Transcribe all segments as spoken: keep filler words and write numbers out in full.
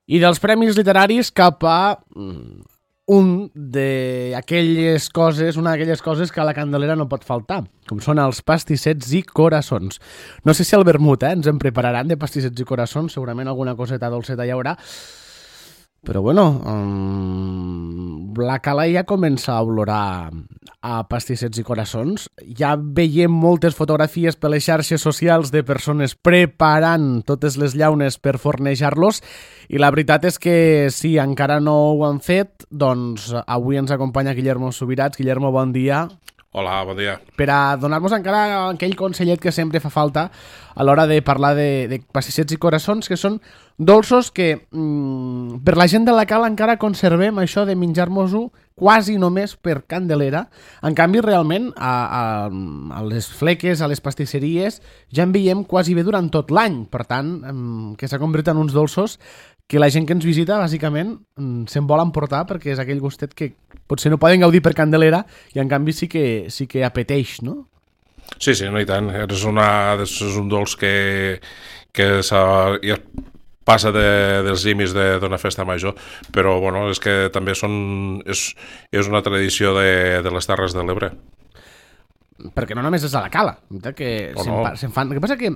I dels premis literaris cap a un d'aquelles coses, una d'aquelles coses que a la Candelera no pot faltar, com són els pastissets i coraçons. No sé si al vermut eh, ens en prepararan de pastissets i coraçons, segurament alguna coseta dolceta hi haurà, però bueno, um, la cala ja comença a olorar a pastissets i coraçons. Ja veiem moltes fotografies per les xarxes socials de persones preparant totes les llaunes per fornejar-los i la veritat és que si encara no ho han fet, doncs avui ens acompanya Guillermo Subirats. Guillermo, bon dia. Hola, bon dia. Per a donar-nos encara aquell consellet que sempre fa falta a l'hora de parlar de, de pastissets i coraçons, que són dolços que mmm, per la gent de la cala encara conservem això de menjar-nos-ho quasi només per Candelera. En canvi, realment, a, a, a les fleques, a les pastisseries, ja en veiem quasi bé durant tot l'any. Per tant, mmm, que s'ha convertit en uns dolços que la gent que ens visita, bàsicament, se'n vol emportar perquè és aquell gustet que potser no poden gaudir per Candelera i, en canvi, sí que, sí que apeteix, no? Sí, sí, no i tant. És, una, és un dolç que, que ja passa de, dels límits d'una festa major, però bueno, és que també són, és, és una tradició de, de les Terres de l'Ebre. Perquè no només és a la cala, que o se'n, no. se'n fan... El que passa que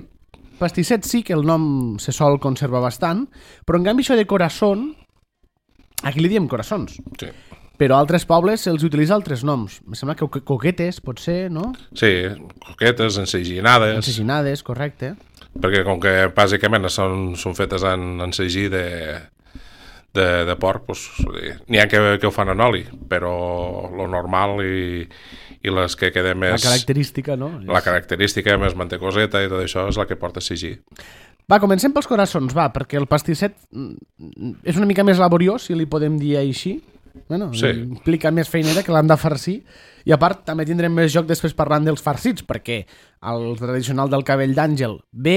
pastisset sí que el nom se sol conservar bastant, però en canvi això de corazón, aquí li diem coraçons. Sí. Però a altres pobles se'ls utilitza altres noms. Em sembla que coquetes, potser, no? Sí, coquetes, enseginades. Enseginades, correcte. Perquè com que bàsicament són, són fetes en, en segí de, de, de porc, doncs, n'hi ha que, que ho fan en oli, però lo normal i, i les que queden més... La característica, no? La característica, més mantecoseta i tot això és la que porta segí. Va, comencem pels coraçons, va, perquè el pastisset és una mica més laboriós, si li podem dir així. Bueno, sí. Implica més feinera que l'han de farcir i a part també tindrem més joc després parlant dels farcits perquè el tradicional del cabell d'àngel ve,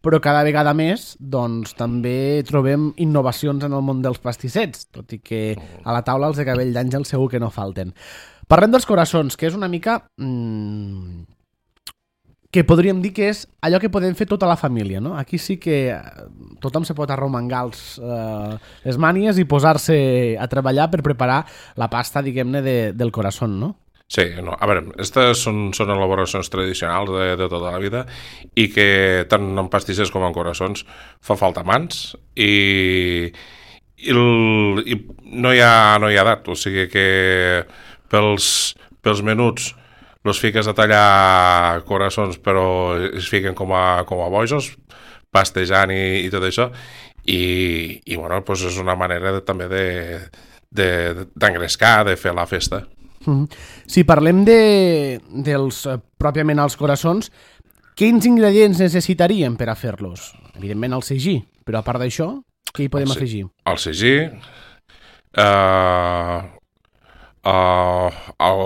però cada vegada més doncs també trobem innovacions en el món dels pastissets, tot i que a la taula els de cabell d'àngel segur que no falten. Parlem dels coraçons, que és una mica mmm, que podríem dir que és allò que podem fer tota la família, no? Aquí sí que tothom se pot arromangar els, eh, les mànies i posar-se a treballar per preparar la pasta, diguem-ne, de, del corazón, no? Sí, no, a veure, aquestes són, són elaboracions tradicionals de, de tota la vida i que tant en pastissers com en coraçons fa falta mans i, i, el, i no hi ha, no hi ha edat, o sigui que pels, pels menuts los fiques a tallar coraçons però es fiquen com a, com a bojos pastejant i, i tot això i, i bueno, pues és una manera de, també de, de, d'engrescar, de fer la festa. Mm-hmm. Si parlem de, dels eh, pròpiament els coraçons, quins ingredients necessitaríem per a fer-los? Evidentment el segí, però a part d'això, què hi podem el, afegir? El segí, eh, eh, el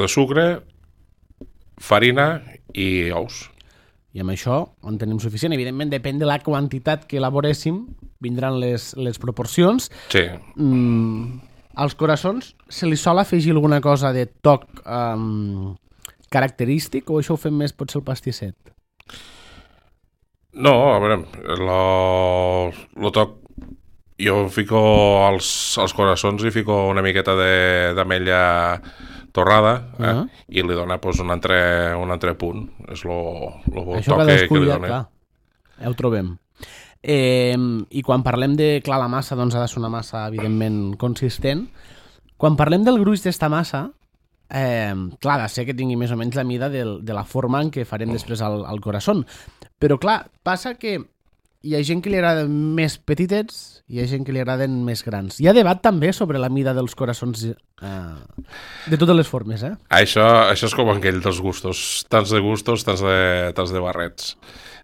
de sucre, farina i ous. I amb això en tenim suficient. Evidentment, depèn de la quantitat que elaboréssim, vindran les, les proporcions. Sí. Mm, als coraçons se li sol afegir alguna cosa de toc um, característic o això ho fem més potser el pastisset? No, a veure, lo, lo toc... Jo fico als, als coraçons i fico una miqueta de, d'ametlla torrada eh? Uh-huh. I li dona pues, un, altre, un altre punt. És lo, lo això toc que, que li dona. Clar, ja ho trobem. Eh, I quan parlem de, clar, la massa, doncs ha de ser una massa, evidentment, consistent. Quan parlem del gruix d'esta massa, eh, clar, ha de ser que tingui més o menys la mida del, de la forma en què farem després el, el corazón. Però, clar, passa que hi ha gent que li agraden més petitets i hi ha gent que li agraden més grans. Hi ha debat també sobre la mida dels coraçons eh, de totes les formes, eh? Això, això és com aquell dels gustos. Tants de gustos, tants de, tants de barrets.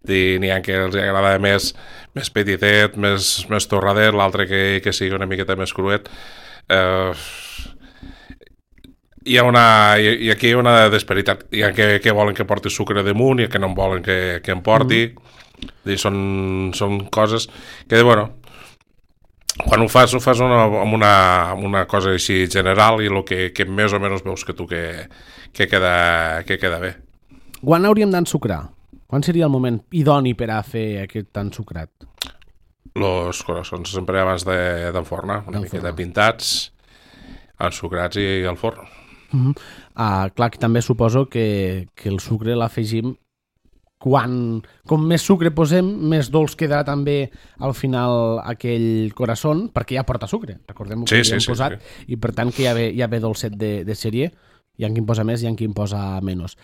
N'hi ha que els agrada més, més petitet, més, més torradet, l'altre que, que sigui una miqueta més cruet. Eh, hi ha una, hi, aquí hi ha una disparitat. Hi ha que, que volen que porti sucre damunt i que no en volen que, que en porti. Mm. I són, són coses que, bueno, quan ho fas, ho fas una, amb, una, amb una cosa així general i el que, que més o menys veus que tu que, que, queda, que queda bé. Quan hauríem d'ensucrar? Quan seria el moment idoni per a fer aquest ensucrat? Los coraçons sempre abans d'enfornar, una miqueta pintats, ensucrats i al forn. Uh -huh. uh, clar, que també suposo que, que el sucre l'afegim quan, com més sucre posem, més dolç quedarà també al final aquell coraçón, perquè ja porta sucre, recordem que sí, hi hem sí, posat, sí, sí. I per tant que ja ve, ja ve dolcet de, de sèrie, hi ha qui en posa més i hi ha qui en posa menys.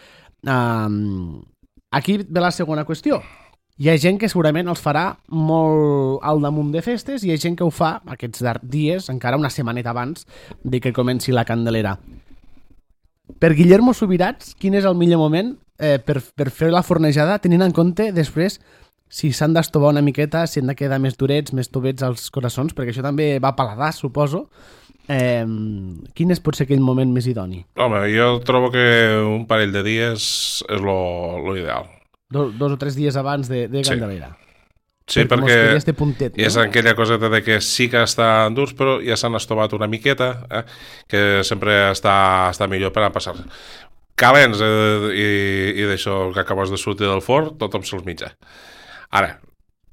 Uh, aquí ve la segona qüestió. Hi ha gent que segurament els farà molt al damunt de festes i hi ha gent que ho fa aquests dies, encara una setmaneta abans de que comenci la Candelera. Per Guillermo Subirats, quin és el millor moment eh, per, per fer la fornejada, tenint en compte després si s'han d'estovar una miqueta, si han de quedar més durets, més tovets als coraçons, perquè això també va a paladar, suposo. Eh, quin és potser aquell moment més idoni? Home, jo trobo que un parell de dies és lo, lo ideal. Dos, dos o tres dies abans de, de Candelera. Sí, sí perquè, perquè este puntet, no? És aquella coseta de que sí que estan durs, però ja s'han estovat una miqueta, eh? Que sempre està, està millor per a passar. Calents eh, i, i d'això que acabes de sortir del forn, tothom se'ls mitja. Ara,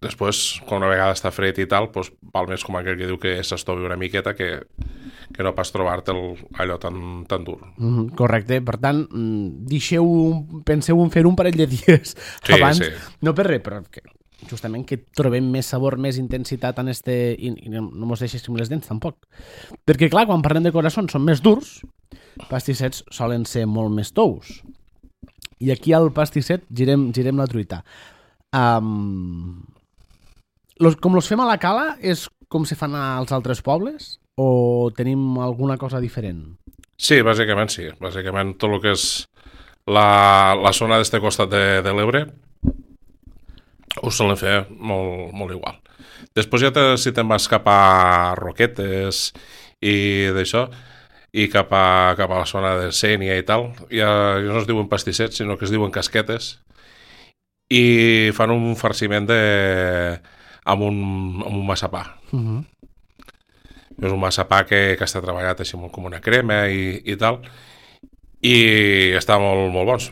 després, quan una vegada està fred i tal, doncs, val més com aquell que diu que s'estovi una miqueta que, que no pas trobar-te allò tan, tan dur. Mm, correcte, per tant, deixeu un, penseu en fer un parell de dies sí, abans, sí. No per res, però que, justament que trobem més sabor, més intensitat en este... i, i no mos deixéssim les dents tampoc. Perquè clar, quan parlem de coraçons són més durs, pastissets solen ser molt més tous. I aquí al pastisset girem, girem la truita. Um, los, com los fem a la cala és com se fan als altres pobles o tenim alguna cosa diferent? Sí, bàsicament sí. Bàsicament tot el que és la, la zona d'este costat de, de l'Ebre ho solen fer molt, molt igual. Després ja te, si te'n vas cap a Roquetes i d'això, i cap a, cap a la zona de Sénia i tal, ja, ja no es diuen pastissets, sinó que es diuen casquetes, i fan un farciment de, amb, un, amb un massapà. Uh-huh. És un massapà que, que està treballat així com una crema i, i tal, i està molt, molt bons.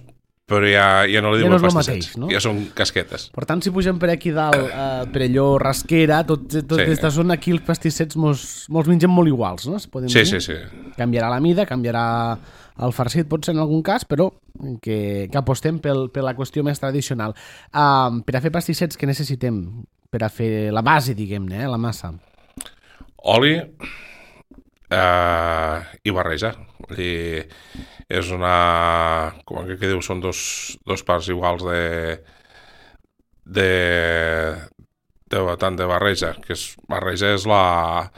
Però ja, ja no li diuen ja no pastissets, mateix, no? Ja són casquetes. Per tant, si pugem per aquí dalt, eh, per allò rasquera, tot, tot sí. Aquesta zona, aquí els pastissets mos, mos mengem molt iguals, no? Podem sí, dir? sí, sí. Canviarà la mida, canviarà el farcit, potser en algun cas, però que, que apostem pel, per la qüestió més tradicional. Uh, per a fer pastissets, què necessitem? Per a fer la base, diguem-ne, eh, la massa. Oli eh, i barreja. I és una... com que diu, són dos, dos parts iguals de, de, de tant de barreja, que és, barreja és la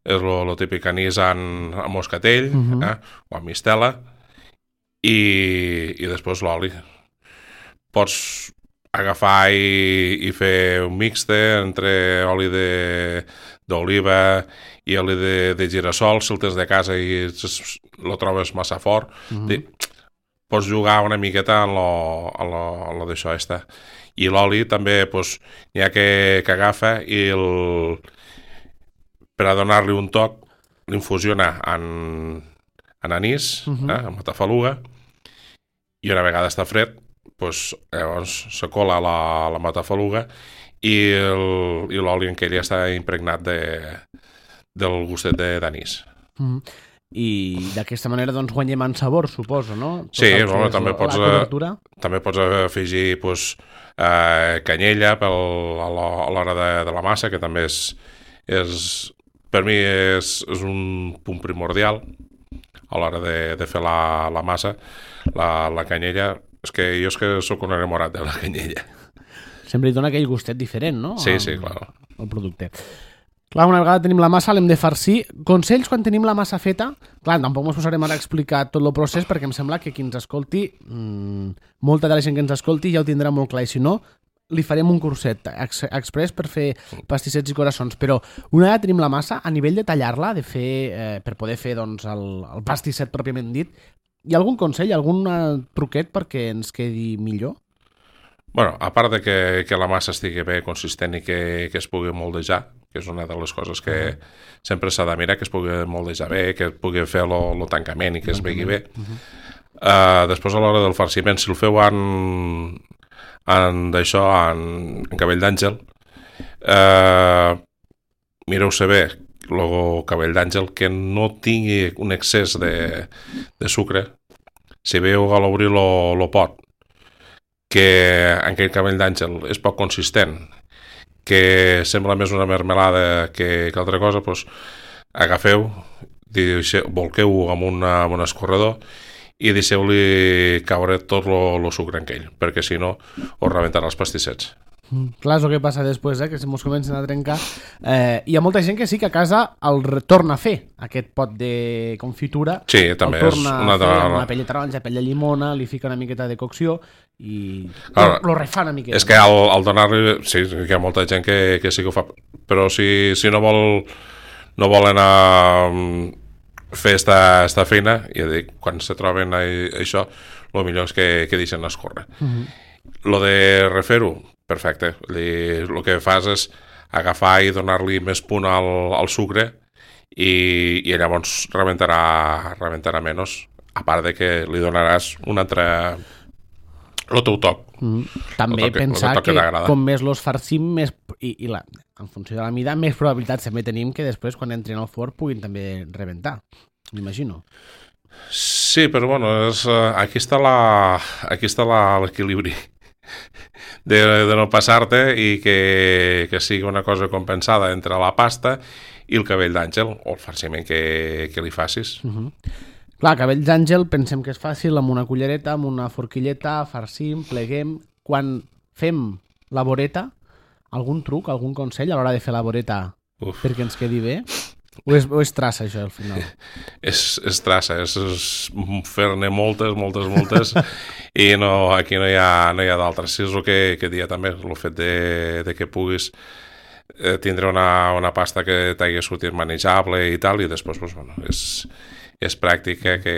és lo, lo típic anís en, en moscatell, uh-huh. eh, o en mistela, i, i després l'oli. Pots agafar i, i fer un mixte entre oli d'oliva i oli de, de girassol, si el tens de casa i lo trobes massa fort. Mm-hmm. Pots jugar una miqueta en lo, en lo, en lo d'això esta. I l'oli també pues, n'hi ha que, que agafa i el, per a donar-li un toc l'infusiona en, en anís, mm-hmm. eh, en matafaluga, i una vegada està fred pues, llavors se cola la, la matafaluga i l'oli en què ja està impregnat de, del gustet d'anís. Mm. I d'aquesta manera doncs, guanyem en sabor, suposo, no? Tot sí, bueno, també, la, pots, la també pots afegir pues, eh, canyella pel, a l'hora de, de la massa, que també és, és per mi és, és un punt primordial a l'hora de, de fer la, la massa. La, la canyella, és que jo és que sóc un enamorat de la canyella. Sempre li dona aquell gustet diferent, no? Sí, sí, clar. El producte. Clar, una vegada tenim la massa, l'hem de farcir. Consells quan tenim la massa feta? Clar, tampoc ens posarem ara a explicar tot el procés perquè em sembla que qui ens escolti, mmm, molta de la gent que ens escolti ja ho tindrà molt clar, i si no, li farem un curset ex express per fer pastissets i coraçons. Però una vegada tenim la massa, a nivell de tallar-la, de fer, eh, per poder fer doncs, el, el pastisset pròpiament dit, hi ha algun consell, algun truquet perquè ens quedi millor? Bueno, a part de que, que la massa estigui bé consistent i que, que es pugui moldejar, que és una de les coses que uh-huh. sempre s'ha de mirar, que es pugui moldejar bé, que pugui fer el tancament i que es vegi bé. Uh-huh. uh, després, a l'hora del farciment, si el feu en, en d'això, en, en cabell d'àngel, eh, mireu-se bé el cabell d'àngel, que no tingui un excés de, de sucre. Si veieu a l'obrir el pot que aquell cabell d'àngel és poc consistent, que sembla més una mermelada que, que altra cosa, doncs agafeu, volqueu-ho amb, una, amb un escorredor i deixeu-li caure tot el sucre en ell, perquè si no us rebentarà els pastissets. Mm, clar, és el que passa després, eh? Que si mos comencen a trencar. Eh, hi ha molta gent que sí que a casa el torna a fer, aquest pot de confitura. Sí, també el torna és una... a fer amb una pell de taronja, pell de llimona, li fica una miqueta de cocció i Ara, lo refà una miqueta. És que al, al donar-li... Sí, hi ha molta gent que, que sí que ho fa, però si, si no vol no volen a fer esta, esta feina, ja dic, quan se troben a, a això, el millor és que, que deixen escórrer. Uh-huh. Lo de refer-ho, perfecte. El que fas és agafar i donar-li més punt al, al sucre i, i llavors rebentarà, rebentarà menys, a part de que li donaràs un altre... el teu toc. Mm. També toc, pensar que, que com més los farcim, més, i, i la, en funció de la mida, més probabilitats també tenim que després, quan entrin al forn, puguin també rebentar. M'imagino. Sí, però bueno, és, aquí està la, aquí està l'equilibri de, de no passar-te i que, que sigui una cosa compensada entre la pasta i el cabell d'àngel, o el farciment que, que li facis. Uh-huh. Clar, cabell d'àngel pensem que és fàcil, amb una cullereta, amb una forquilleta, farcim, pleguem. Quan fem la voreta, algun truc, algun consell a l'hora de fer la voreta Uf. perquè ens quedi bé? O és, o és traça, això, al final? és, és traça, és, és fer-ne moltes, moltes, moltes, i no, aquí no hi ha, no hi ha d'altres. Sí, és el que, que dia també, el fet de, de que puguis eh, tindre una, una pasta que t'hagi sortit manejable i tal, i després, doncs, bueno, és... és pràctica que...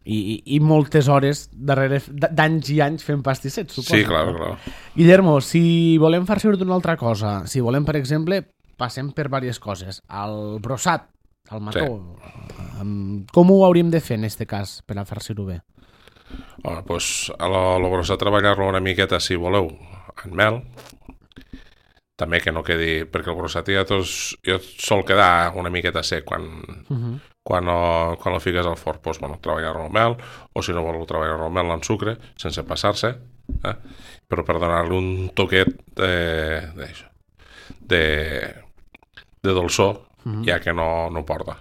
I, i, i moltes hores darrere d'anys i anys fent pastissets, suposo. Sí, clar, clar. Guillermo, si volem farcir d'una altra cosa, si volem, per exemple, passem per diverses coses. El brossat, el mató, sí. Com ho hauríem de fer en aquest cas per a farcir-ho bé? Home, doncs el brossat treballar-lo una miqueta, si voleu, en mel, també que no quedi, perquè el brossat ja, tos, ja sol quedar una miqueta sec quan, uh-huh. quan, o, quan el fiques al forn, doncs, bueno, treballar-lo al mel, o si no voleu treballar-lo al mel en sucre, sense passar-se, eh? Però per donar-li un toquet de, de, de, de dolçor, uh-huh. ja que no, no porta.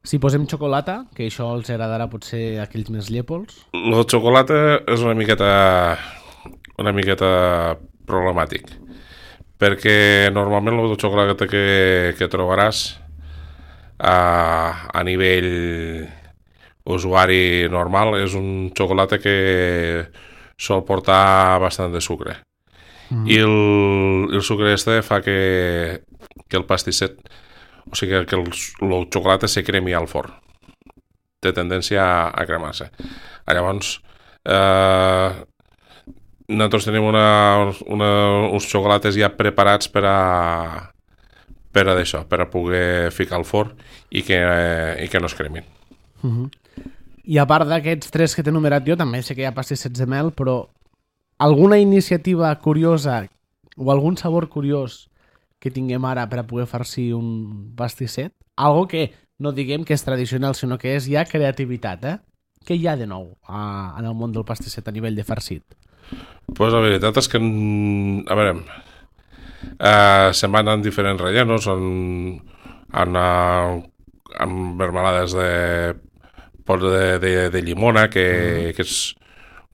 Si posem xocolata, que això els agradarà potser a aquells més llepols? El xocolata és una miqueta, una miqueta problemàtic, perquè normalment el xocolata que, que trobaràs a, a nivell usuari normal és un xocolata que sol portar bastant de sucre. Mm. I el, el sucre este fa que, que el pastisset, o sigui que el, el xocolata se cremi al forn. Té tendència a, a cremar-se. Llavors, eh, nosaltres tenim una, una, uns xocolates ja preparats per a per a d'això, per a poder ficar al forn i que, eh, i que no es cremin. Uh-huh. I a part d'aquests tres que t'he enumerat jo, també sé que hi ha pastissets de mel, però alguna iniciativa curiosa o algun sabor curiós que tinguem ara per a poder farcir un pastisset? Algo que no diguem que és tradicional, sinó que és ja creativitat, eh? Què hi ha de nou a, en el món del pastisset a nivell de farcit? Pues la veritat és que, a veure, eh, se'n van en diferents rellenos, en, en, en mermelades de pot de, de, de llimona, que, mm. que és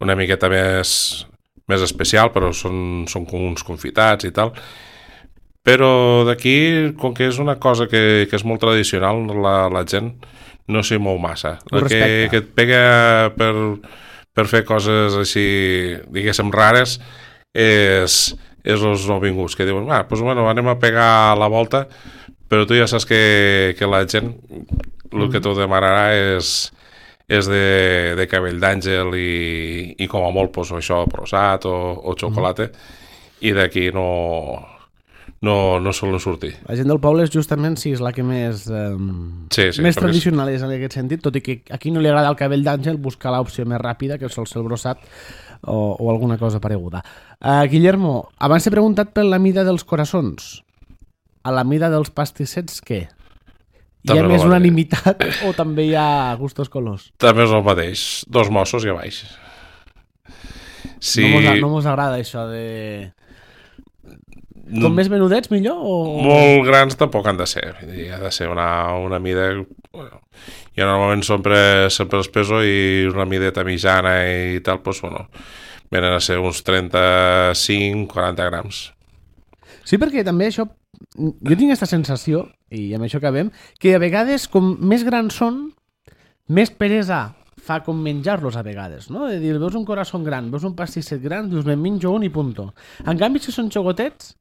una miqueta més, més especial, però són, són com uns confitats i tal. Però d'aquí, com que és una cosa que, que és molt tradicional, la, la gent no s'hi mou massa. La que, que et pega per... per fer coses així, diguéssim, rares, és, és els nouvinguts, que diuen, ah, doncs bueno, anem a pegar la volta, però tu ja saps que, que la gent el que t'ho demanarà és, és de, de cabell d'àngel i, i com a molt, doncs, això, brossat o, o xocolata, mm. i d'aquí no, no, no solen sortir. La gent del poble és justament, sí, és la que més, eh, Sí, sí, més perquè tradicional és en aquest sentit, tot i que aquí no li agrada el cabell d'àngel, buscar l'opció més ràpida, que sol ser el brossat o, o alguna cosa pareguda. Uh, Guillermo, abans t'he preguntat per la mida dels coraçons. A la mida dels pastissets, què? Hi ha També més el mateix. unanimitat o també hi ha gustos colors? També és el mateix, dos mossos i a baix. Sí, No mos, no mos agrada això de... Com no- més menudets, millor? O... molt grans tampoc han de ser. Vull dir, ha de ser una, una mida... Bueno, jo normalment sempre, sempre els peso i una mideta mitjana i tal, doncs, bueno, venen a ser uns trenta-cinc quaranta grams. Sí, perquè també això... Jo tinc aquesta sensació, i amb això acabem, que a vegades, com més grans són, més peresa fa com menjar-los a vegades, no? De dir, veus un corazón gran, veus un pastisset gran, dius, me'n menjo un i punto. En canvi, si són xocotets,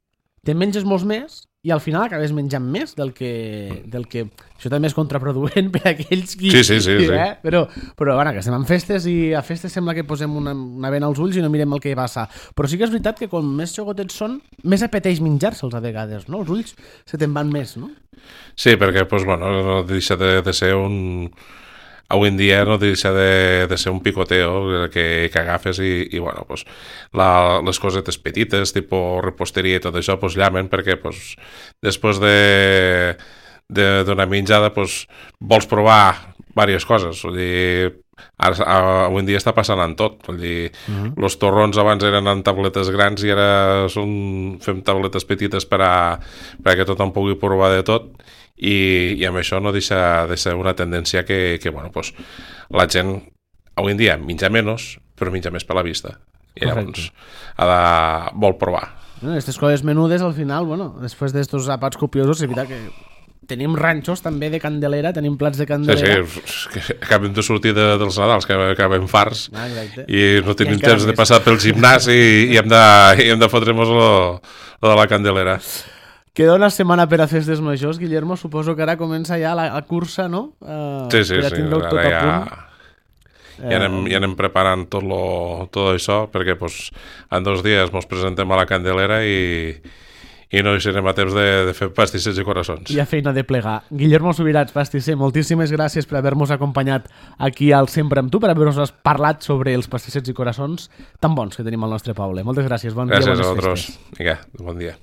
te menges molts més i al final acabes menjant més del que... Del que... Això també és contraproduent per a aquells qui... Sí, sí, sí, sí. Eh? Però, però bueno, que estem en festes i a festes sembla que posem una, una vena als ulls i no mirem el que hi passa. Però sí que és veritat que com més xocotets són, més apeteix menjar-se'ls a vegades, no? Els ulls se te'n van més, no? Sí, perquè doncs, bueno, no deixa de, de ser un... Avui en dia no deixa de, de ser un picoteo que, que agafes i, i bueno, pues, la, les cosetes petites, tipus reposteria i tot això, pues, llamen perquè pues, després de d'una menjada pues, vols provar diverses coses. Vull dir, ara, avui en dia està passant en tot. Vull dir, uh-huh. Los torrons abans eren en tabletes grans i ara són, fem tabletes petites per a, per a que tothom pugui provar de tot. I, i amb això no deixa de ser una tendència que, que bueno, pues, la gent avui en dia menja menys però menja més per la vista i llavors ha de, vol provar. Aquestes coses menudes al final, bueno, després d'estos àpats copiosos, és veritat que tenim ranxos també de Candelera, tenim plats de Candelera. Sí, sí, que acabem de sortir de, dels Nadals, que acabem farts ah, i no tenim I temps de passar pel gimnàs i, i hem de, i hem de fotre-nos lo, lo de la Candelera. Queda una setmana per a festes majors, Guillermo. Suposo que ara comença ja la, la cursa, no? Uh, sí, sí, ja sí. tot Ara a ja, punt. ja, anem, ja anem preparant tot, lo, tot això perquè pues, en dos dies ens presentem a la Candelera i, i no hi serem a temps de, de fer pastissets i coraçons. Hi ha feina de plegar. Guillermo Subirats, pastisser, moltíssimes gràcies per haver-nos acompanyat aquí al Sempre amb tu, per haver-nos parlat sobre els pastissets i coraçons tan bons que tenim al nostre poble. Moltes gràcies. Bon gràcies dia, bones a vosaltres. festes. Vinga, bon dia.